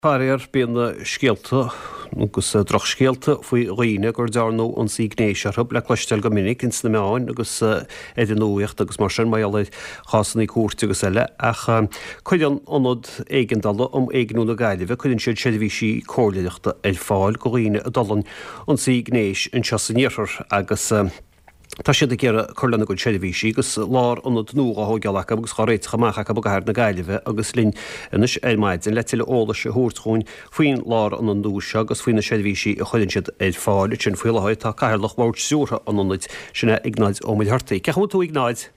Faraor, bíonn scéalta, agus drochscéalta, faoi dhaoine gur dearnadh ionsaí gnéis orthu le cloisteáil go minic ins na meáin agus ar an nuaíocht agus mar sin, mar gheall ar chásannaí cúirte agus eile. Ach cuireann Ionad Éigeandála um Éigniú na Gaillimhe, cuireann siad seirbhísí comhairleoireachta ar fáil go dhaoine a d'fhulaing ionsaí gnéis anseo san iarthar agus. Tá siad ag iarraidh cur lena gcuid seirbhísí agus lárionad nua dhá thóigeáil acu agus dhá réiteach amach acu i gcathair na Gaillimhe agus linn anois ar maidin le tuilleadh eolais a thabhairt dhúinn faoin lárionad nua seo agus faoi na seirbhísí a chuireann siad ar fáil ansin faoi láthair tá Cathaoirleach Bhord Stiúrtha an Ionaid, sin é Iognáid Ó Muircheartaigh. Cén chaoi a bhfuil tú a Iognáid?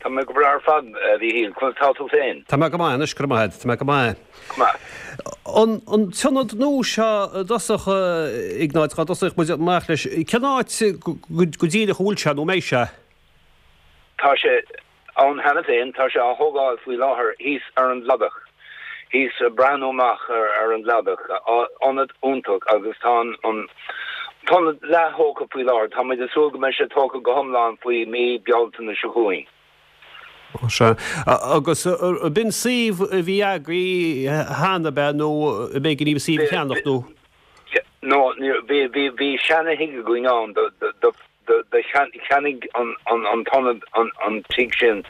Tá mé go breá ar fad, a Mhíchíl. Conas tá tú féin? Tá mé go maith anois, go raibh maith agat. Tá mé go maith. Go maith. An an t-ionad nua seo i dtosach, a Iognáid, dá dtosódh muid amach leis, cén áit go díreach a bhfuil sé nó a mbeidh sé? Tá sé ann cheana féin. Tá sé á thógáil faoi láthair thíos ar an gCladach. Thíos ag breathnú amach ar an gCladach. Ionad iontach agus tá an t-ionad leath-thógtha faoi láthair. Tá muid ag súil go mbeidh sé tógtha go hiomlán faoi mí Bealtaine seo chugainn. Ó sea. Agus b'in suíomh a bhí agaibh cheana, ab ea, nó ab éigean daoibh suíomh a cheannach nó? No, bhí, bhí, bhí seana-thigh againn ann do, do, do, do cheannaigh an, an, an t-ionad an, an tigh sin.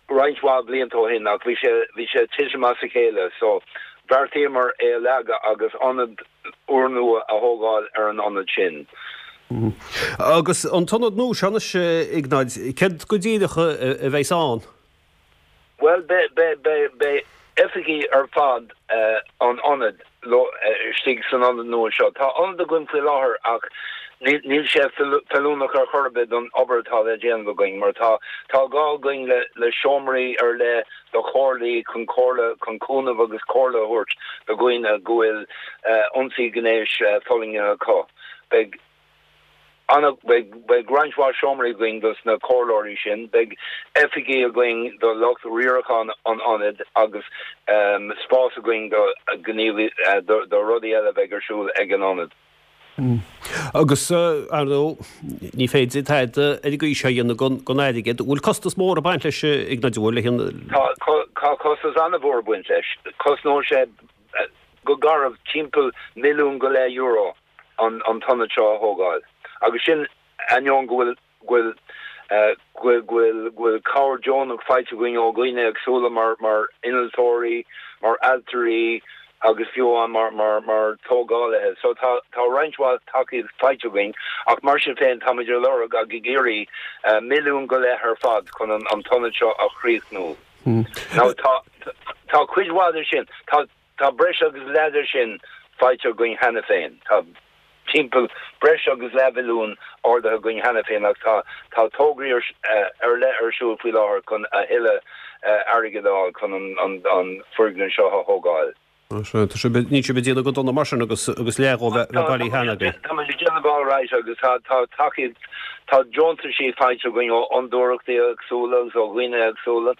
Roinnt mhaith blianta ó shin ach bhí sé, bhí sé ag titim as a chéile so bheartaíomar é a leagadh agus ionad úrnua a thógáil ar an ionad sin. Agus an t-ionad nua seo anois, a Iognáid, céard go díreach a bheas ann? Bhuel, beidh, beidh, beidh, beidh oifigí ar fad an ionaid istigh san ionad nua seo. Tá ionad againn faoi láthair ach níl sé feiliúnach ar chor ar bith don obair atá le déanamh againn mar tá tá gá againn le le seomraí ar leith do chomhairlí chun comhairle chun cúnamh agus comhairle a thabhairt do dhaoine go bhfuil ionsaí gnéis fulaingthe acu. Beidh. Ana, beidh, beidh roinnt mhaith seomraí againn dos na comhairleoirí sin, beidh oifigí againn do lucht riaracháin an ionaid agus spás againn do ghníomh, do, do rudaí eile a bheidh ar siúl ag an ionad. Agus, ar ndóigh, ní féidir tada ar an gcaoi seo a dhéanamh gan, gan airgead. An bhfuil costas mór ag baint leis, a Iognáid, an bhfuil, le hionad? Tá, tá costas ana-mhór ag baint leis. Cosnóidh sé go garbh timpeall €1.5 milliún. an t-ionad seo a thógáil agus sin ainneoin go bhfuil go bhfuil go bhfuil go bhfuil go bhfuil cabhair deonach faighte againn ó dhaoine éagsúla mar mar innealtóirí, mar ailtirí agus fiú amháin mar mar mar tógálaithe. So tá tá roinnt mhaith tacaíocht faighte againn ach mar sin féin táimid ag lorg ag ag iarraidh 1.5 milliún ar fad chun an an t-ionad seo a chríochnú. Now tá tá cuid mhaith de sin tá Tá breis agus leath de sin faighte againn cheana féin. Tá timpeall breis agus leathmhilliún ardaithe againn cheana féin ach tá tá tograí ar ar leith ar siúl faoi láthair chun a thuilleadh airgid a fháil chun an an an foirgneamh seo a thógáil. Sea, tá sibh, níl sibh ag déanamh go dona mar sin agus agus leath dhó bheith bailithe cheana agaibh. Tá muid ag déanamh alright agus tá tá tacaíocht, tá deontaisí faighte againn ó fhondúireachtaí éagsúla agus ó dhaoine éagsúla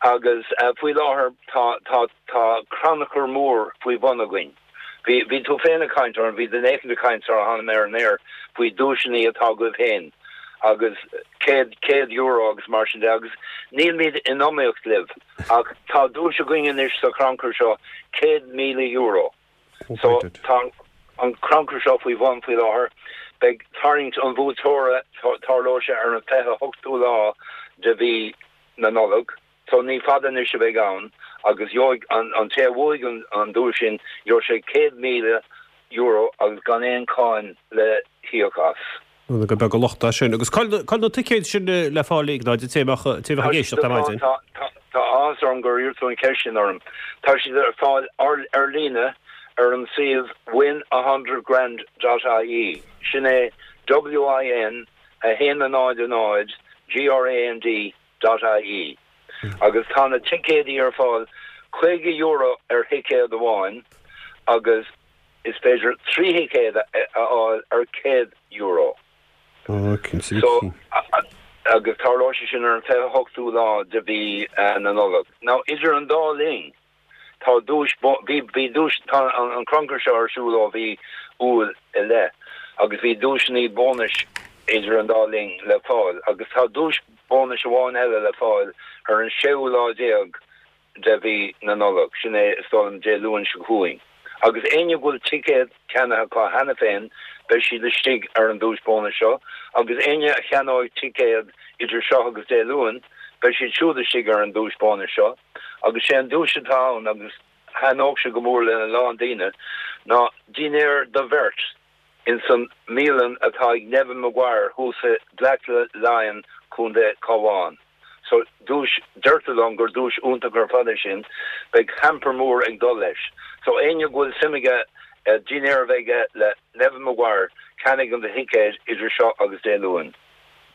agus faoi láthair tá tá Tá crannchur mór faoi bhun againn. Bhí, bhí tú féin ag caint orm, bhí duine éicint ag caint sara tháinig mé ar an aer faoi duaiseanna atá agaibh féin agus céad, €100 agus mar sin de agus nílimid in iomaíocht libh ach tá duais againn anois sa chrannchur seo, €100,000. So tá an crannchur seo faoi bhun faoi láthair. Beidh tarraingt an bhuaiteora, tarlóidh sé ar an 28ú lá de mhí na Nollag. So ní fada anois a bheidh ann agus gheobhaidh an té a bhuafaidh an duais sin, gheobhaidh sé €100,000 agus gan aon cháin le híoc as. Gur beag an locht é sin. Agus cá bhfuil na ticéid sin le fáil a Iognáid, an té a bheadh ag éisteacht ar maidin? Tá áthas orm gur iarr tú an cheist sin orm. Tá siad ar fáil ar líne ar an suíomh win a hundred grand dot ie. Sin é WIN 1 0 0 GRAND dot ie agus tá na ticéidí ar fáil €50 ar thicéad amháin agus is féidir 3 thicéad a fháil ar €100. So, agus tarlóidh sé sin ar an 28ú lá de mhí na Nollag. Now, idir an dá linn, Tá duais, bhí, bhí duais, tá an crannchur seo ar siúl ó mhí Iúil i leith agus bhí duaiseanna bónais idir an dá linn le fáil agus tá duais bónais amháin eile le fáil ar an séú lá déag. de mhí na Nollag, sin é is dóigh liom Dé Luain seo chugainn. Agus éinne go bhfuil ticéad ceannaithe acu cheana féin, beidh siad istigh ar an duais bónais seo, agus éinne a cheannóidh ticéad idir seo agus Dé Luain, beidh siad siúd istigh ar an duais bónais seo. Agus sé an duais atá ann, agus thaitneodh sé go mór lena lán daoine, ná dinnéar do bheirt ins an mbialann atá ag Neven Maguire thuas i Black Lion, Co. Cabhán. So, duais, deirtear liom gur duais iontach ar fad é sin. Beidh hamper mór ag dul leis. So, éinne go bhfuil suim aige dinnéar a bheith aige le Neven Maguire, ceannaigh an do thicéad idir seo agus Dé Luain.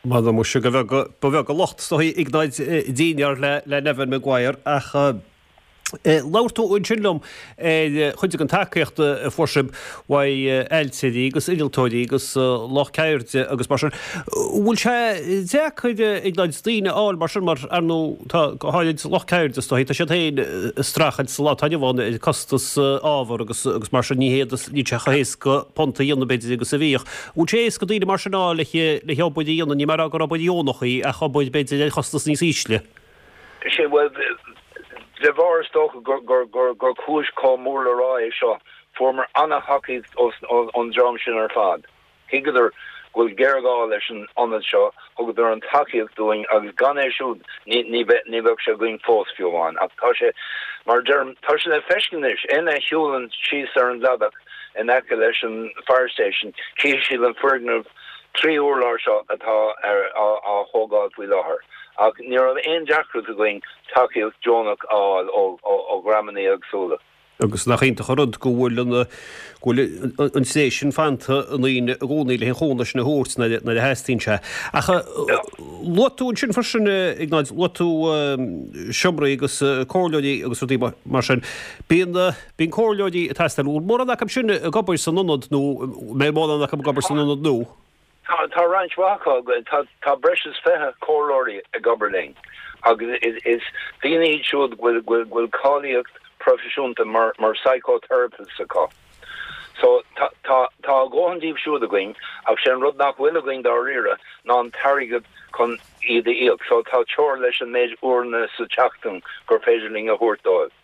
M'anam muise go bheag, ba bheag an locht is dóigh Iognáid dinnéar le le Neven Maguire ach labhair tú ansin liom ar chuid den tacaíocht a fuair sibh uaidh ailtirí agus innealtóirí agus lucht ceirde agus mar sin. Bhfuil sé deacair Iognáid daoine a fháil mar sin mar ar ndóigh tá go háirid lucht ceirde is dóigh tá siad féin ag streachailt sa lá atá inniu ann ar costas ábhar agus agus mar sin ní hiad níl sé chomh héasca punt a dhéanamh b'fhéidir agus a bhíodh. Bhfuil sé éasca daoine mar sin a fháil le le hobair a dhéanamh, níl mé ag rá gur obair dheonach í ach obair b'fhéidir ar chostas níos ísle? Sea, bhuel, de bharr is dócha gur cúis chomh mór le rá é seo, fuaireamar ana-thacaíocht ón dream sin ar fad. Thuigeadar go bhfuil géarghá leis an ionad seo, thugadar an tacaíocht dúinn agus gan é siúd ní bheadh sé againn fós, fiú amháin. Ach tá sé, mar a deirim, tá sé le feiscint anois, éinne a shiúlann síos ar an gcladach in aice leis an Fire Station, cífidh siad an foirgneamh 3 urlár seo atá á thógáil faoi láthair. Ach ní raibh aon deacracht againn tacaíocht deonach a fháil ó dhreamanna éagsúla. Agus nach iontach an rud go bhfuil an go bhfuil an tréith sin fanta i ndaoine i gcónaí le an chúnamh sin a thabhairt nuair a theastaíonn sé. Ach luaigh tú ansin freisin, Iognáid, luaigh tú seomraí agus comhairleoirí agus rudaí mar sin. Bíonn bíonn comhairleoirí ag teastáil. Bhfuil mórán acu sin ag obair san ionad nó mbeidh mórán acu ag obair san ionad nua? Tá, tá roinnt mhaith acu. Tá, tá breis is 20 comhairleoirí ag obair linn agus is daoine iad siúd go bhfuil, go bhfuil, go bhfuil cáilíocht proifisiúnta mar, mar psychotherapists acu. So, tá, tá, tá a dhóthain díobh siúd againn ach sé an rud nach bhfuil againn dáiríre ná an t-airgead chun iad a íoc. So, tá teora leis an méid uaireanna sa tseachtain gur féidir linn a thabhairt dóibh.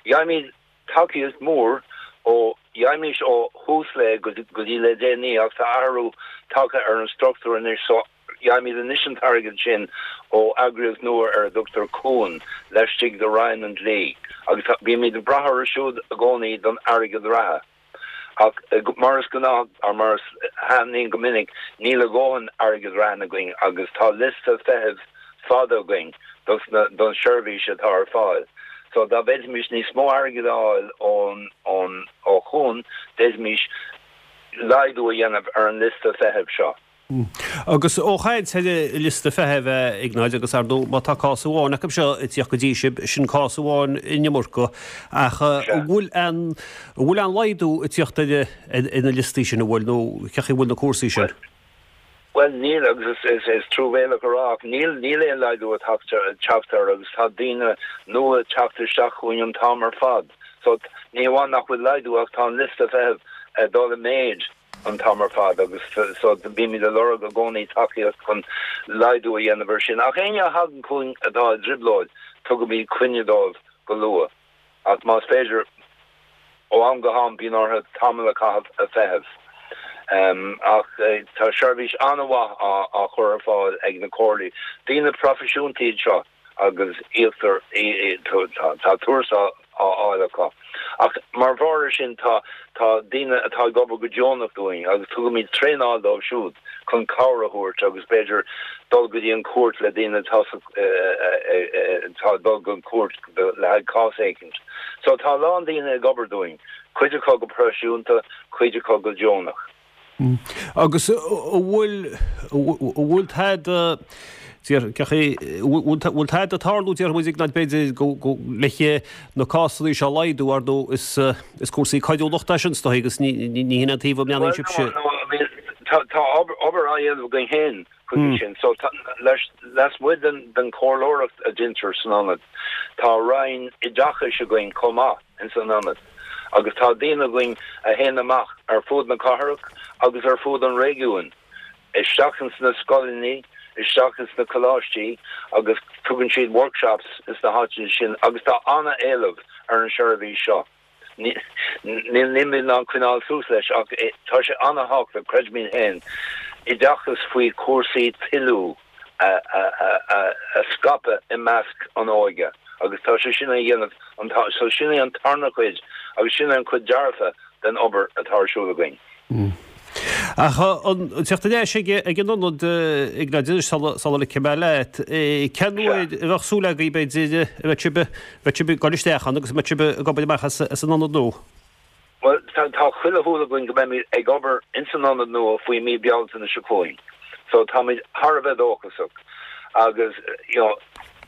Gheibhimid tacaíocht mhór ó Gheibhimís ó Thús Lae go dtí le déanaí ach tá athrú tagtha ar an struchtúr anois so gheibhimid anois an t-airgead sin ó eagraíocht nua ar a dtugtar Cuan laistigh de Roinn an Dlí agus bímid ag brath orthu siúd i gcónaí don airgead reatha. Ach mar is gnáth, or mar a tharlaíonn go minic, níl a dhóthain airgead reatha againn agus tá liosta feithimh fada againn dos na, don seirbhís atá ar fáil. So dá bhféadfaimis níos mó airgid a fháil ón, ón, ó Chuan, d'fhéadfaimis laghdú a dhéanamh ar an liosta feithimh seo. Agus ó chaint ar an liosta feithimh, a Iognáid, agus ar ndóigh má tá cás amháin acu seo ag tíocht go dtí sibh, sin cás amháin an iomarca, ach an bhfuil aon, an bhfuil aon laghdú ag tíocht ar, ar na liostaí sin, an bhfuil, nó cén chaoi a bhfuil na cúrsaí sin? Bhuel, níl, agus is truamhéalach a rá, ach níl, níl aon laghdú ag teacht air agus tá daoine nua ag teacht isteach chugainn an t-am ar fad. So, ní hamháin nach bhfuil laghdú ach tá an liosta feithimh ag dul i méid an t-am ar fad agus so bímid ag lorg i gcónaí tacaíocht chun laghdú a dhéanamh air sin. Ach éinne a thagann chugainn atá i dtrioblóid, tugaimid coinne dóibh go luath. Ach más féidir, ó am go ham bíonn orthu tamall a chaitheamh ag feitheamh. Ach tá seirbhís an-mhaith á chur ar fáil ag na comhairleoirí. Daoine proifisiúnta iad seo agus íoctar, tá tuarastal á fháil acu. Ach mar bharr air sin tá daoine atá ag obair go deonach dúinn agus tugaimid traenáil dóibh siúd chun cabhair a thabhairt agus b'fhéidir dul go dtí an chúirt le daoine atá atá ag dul don chúirt le haghaidh cás éicint. So tá a lán daoine ag obair dúinn, cuid acu go proifisiúnta, cuid acu go deonach. Agus an bhfuil, an bhfuil tada, bhfuil tada ag tarlú, déarfaidh muid, Iognáid, b'fhéidir, go, go, le na cásanna seo a laghdú, ar ndóigh, is, is cúrsaí coiriúlachta é sin, is dóigh, agus ní, ní hin an taobh a mbreathnaíonn sibhse. Bhuel, no, I mean, tá, tá obair, obair á dhéanamh againn féin chuige sin. So, tá, leis, lasmuigh den, den chomhairleoireacht a deintear san ionad, tá roinn oideachais againn chomh maith ins an ionad agus tá daoine againn a théann amach ar fud na cathrach agus ar fud an réigiúin, isteach ins na scoileanna, isteach ins na coláistí agus. Tugann siad workshops ins na háiteanna sin agus tá an-éileamh ar an seirbhís seo. Nílimid in ann coinneáil suas leis ach tá sé an-thábhachtach, creidimid féin, oideachas faoi chúrsaí toiliú a scaipeadh i measc an óige agus tá sé sin á dhéanamh, so sin é an tarna cuid agus sin é an cuid dearfa den obair atá ar siúl againn. Ach an teacht ar ais ag an ionad Iognáid anois sula ligfidh mé leat, cén uair a bheadh súil agaibh b'fhéidir a bheidh sibh, bheidh sibh ag dul isteach ann agus a mbeidh sibh ag obair amach as an ionad nua? Bhuel, tá chuile shúil againn go mbeimid ag obair ins an ionad nua faoi mí Bealtaine seo chugainn. So táimid thar a bheith dóchasach agus, you know,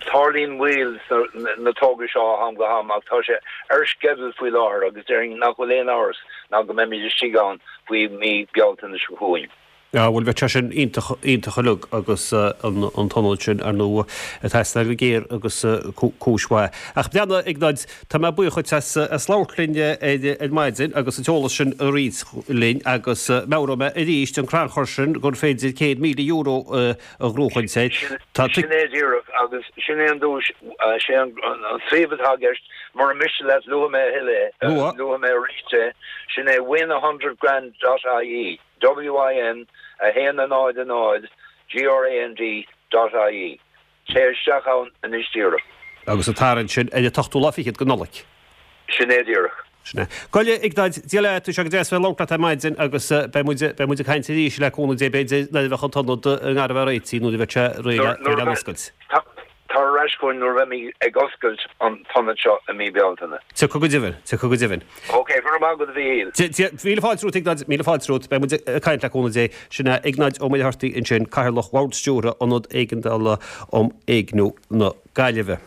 Tarlaíonn moill sna na tograí seo ó am go ham ach tá sé ar sceideal faoi láthair agus déarfainn nach bhfuil aon amhras ná go mbeimid istigh ann faoi mhí Bealtaine seo chugainn. Ah bhuel bheadh sé sin iontach, iontach uilig agus an an t-ionad sin ar ndóigh ag teastáil go géar agus cúis mhaith. Ach breathnaigh, a Iognáid, tá mé buíoch dhuit as as labhairt linn ar ar maidin agus an t-eolas sin a roinnt linn agus meabhróidh mé arís an crannchur sin gur féidir €100,000 a a ghnóchaint air. Tá Sin é díreach, agus sin é an duais, sé an suíomh atá i gceist, mura miste leat luafaidh mé a thuilleadh é, luafaidh mé arís é, sin é win a hundred grand dot ie, W-I-N 1 0 0 G-R-A-N-D dot ie. Téigh isteach ann anois díreach. Agus an tarraingt sin ar an t-ochtú lá fichead de Nollaig. Sin é díreach. Sin é. Gabh i leith, a Iognáid, Dia leat, tá sé go deas bheith ag labhairt leat ar maidin agus beidh muid, beidh muid ag caint arís le cúnamh Dé b'fhéidir nuair a bheadh an t-ionad i ngar a bheith réitithe, nuair a bheidh sé réidh le oscailt. Tar ar ais chugainn nuair a bheimid ag oscailt an t-ionad seo i mí Bealtaine. Tiocfaidh go deimhin, tiocfaidh go deimhin. Ok, go raibh maith agat a Mhíchíl. Dia, míle fáilte romhat a Iognáid, míle fáilte romhat. Beidh muid ag caint le cúnamh Dé. Sin é Iognáid Ó Muircheartaigh ansin, Cathaoirleach Bhord Stiúrtha Ionad Éigeandála um Éigniú na Gaillimhe.